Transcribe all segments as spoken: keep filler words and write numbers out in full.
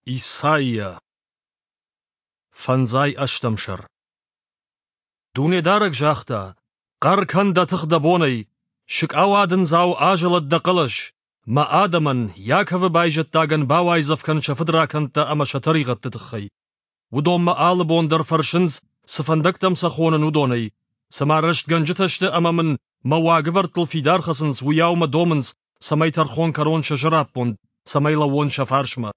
Исайя. Фӕндзай ӕстӕм сӕр. Дунедарӕг загъта: «Хъӕр кӕн дӕ тых дӕ бонӕй! Сыкъауадындзау азӕлӕд дӕ хъӕлӕс! Мӕ адӕмӕн, Иаковы байзӕддагӕн бауайдзӕф кӕн сӕ фыдракӕндтӕ ӕмӕ сӕ тӕригъӕдты тыххӕй. Уыдон мӕ алы бон дӕр фӕрсынц, цы фӕндӕгтӕм сӕ хонын, уыдонӕй. Цыма рӕстгӕнджытӕ сты ӕмӕ мын мӕ уагӕвӕрдтыл фидар хӕцынц, уыйау мӕ домынц, цӕмӕй тӕрхон кӕнон сӕ сӕраппонд, цӕмӕй лӕууон сӕ фарсмӕ.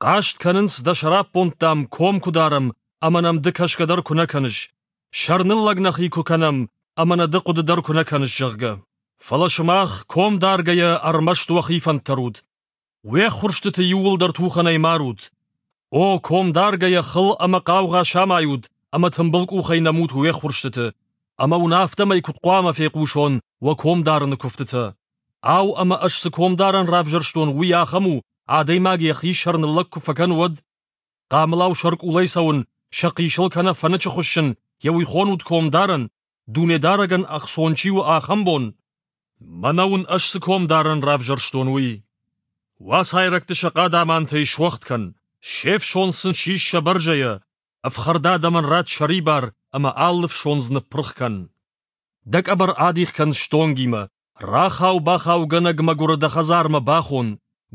Хъаст кӕнынц, дӕ сӕраппонд, дам, ком куы дарӕм, ӕмӕ нӕм ды кӕсгӕ дӕр куы нӕ кӕныс. Сӕрныллӕг нӕхи куы кӕнӕм, ӕмӕ нӕ ды хъуыды дӕр куы нӕ кӕныс, зӕгъгӕ. Фӕлӕ сымах, ком даргӕйӕ, ӕрмӕст уӕхи фӕнд тӕрут. Уе ххуырстыты иууылдӕр тухӕнӕй марут. О, ком даргӕйӕ, хыл ӕмӕ хъаугъа самайут ӕмӕ тымбыл къухӕй нӕмут уе ххуырстыты. Ӕмӕ уын афтӕмӕй куыд хъуамӕ фехъусон уӕ комдарыны куывтытӕ? Ау, ӕмӕ ӕз цы комдарӕн равзӕрстон, уый ахӕм у, адӕймаг йӕхи сӕрныллӕг куы фӕкӕны, уӕд? Хъамылау сӕркъулӕй цӕуын, сӕ хъисыл кӕнӕ фӕнычы хуыссын, йӕ уый хонут комдарӕн, Дунедарӕгӕн ӕхцон чи у, ахӕм бон? Мӕнӕ уын ӕз цы комдарӕн равзӕрстон, уый. Уацайрӕгты сӕ хъадамантӕй суӕгъд кӕн, се фсондз сын сис сӕ бӕрзӕйӕ, ӕфхӕрд адӕмӕн ратт сӕрибар ӕмӕ алы фсондз ныппырх кӕн. Дӕ къӕбӕр адих кӕн стонгимӕ, рахау-бахаугӕнӕг мӕгуыры дӕ хӕдзармӕ бахон,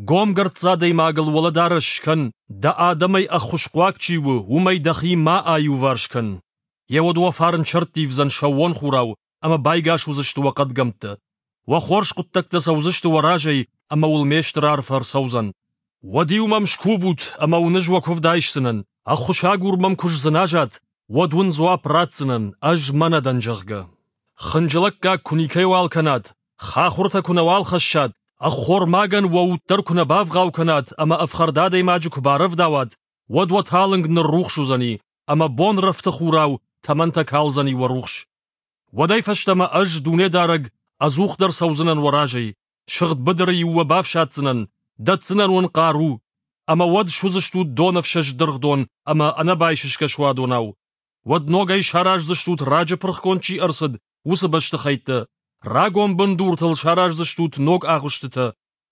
гомгӕрцц адӕймагыл уӕлӕдарӕс скӕн, дӕ адӕмӕй ӕххуысхъуаг чи у, уымӕй дӕхи ма аиуварс кӕн. Йеуӕд уӕ фарн сӕрттивдзӕн сӕууон хурау, ӕмӕ байгас уыдзысты уӕ хъӕдгӕмттӕ. Уӕ хорз хъуыддӕгтӕ цӕудзысты уӕ разӕй, ӕмӕ уыл ме стыр арфӕ ӕрцӕудзӕн. Уӕд-иу мӕм скувут, ӕмӕ уын ӕз уӕ куывд айсдзынӕн, ӕххуысагур мӕм куы сдзыназат, уӕд уын дзуапп ратдзынӕн, ӕз мӕнӕ дӕн, зӕгъгӕ. Хынджылӕггаг куы никӕйуал кӕнат, хахуыртӕ куы нӕуал хӕссат, ӕххормагӕн уӕ уд дӕр куы нӕ бавгъау кӕнат ӕмӕ ӕфхӕрд адӕймаджы куы барӕвдауат, уӕд уӕ талынг ныррухс уыдзӕни, ӕмӕ бонрӕфты хурау тӕмӕнтӕ калдзӕни уӕ рухс. Уӕдӕй фӕстӕмӕ ӕз, Дунедарӕг, ӕдзухдӕр цӕудзынӕн уӕ разӕй, сыгъд быдыры-иу уӕ бафсаддзынӕн, дӕтдзынӕн уын хъару, ӕмӕ уӕд суыдзыстут донӕфсӕст дыргъдон ӕмӕ ӕнӕбайсысгӕ суадонау. Уӕд ногӕй сараздзыстут, раджы пырхгонд чи ӕрцыд, уыцы бӕстыхӕйттӕ, рагон бындуртыл сараздзыстут ног агъуыстытӕ,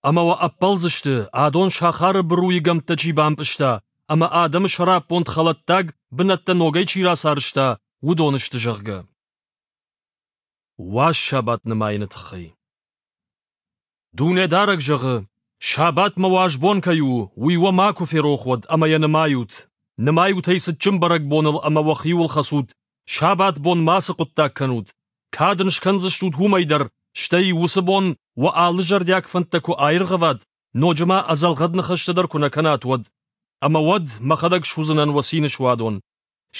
ӕмӕ уӕ ӕппӕлдзысты, адон сахары быруйы гӕмттӕ чи бампъызта ӕмӕ адӕмы сӕраппонд хӕлӕттаг бынӕттӕ ногӕй чи рацарӕзта, уыдон сты, зӕгъгӕ. Уаз сабат нымайыны тыххӕй. Дунедарӕг зӕгъы, сабат мӕ уаз бон кӕй у, уый уӕ макуы ферох уӕд ӕмӕ йӕ нымайут. Нымайут ӕй цытджын бӕрӕгбоныл ӕмӕ уӕхиуыл хӕцут, сабат бон мацы хъуыддаг кӕнут. Кад ын скӕндзыстут уымӕй дӕр, стӕй уыцы бон уӕ алы зӕрдиаг фӕндтӕ куы аиргъӕват, ноджы ма ӕдзӕлгъӕд ныхӕстӕ дӕр куы нӕ кӕнат, уӕд. Ӕмӕ уӕд мӕхӕдӕг суыдзынӕн уӕ цины суадон.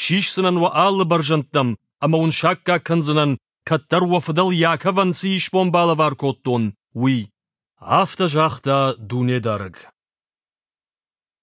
Сисдзынӕн уӕ алы бӕрзӕндтӕм ӕмӕ уын саккаг кӕндзынӕн, кӕддӕр уӕ фыдӕл Иаковӕн цы исбон балӕвар кодтон, уый. Афтӕ загъта Дунедарӕг.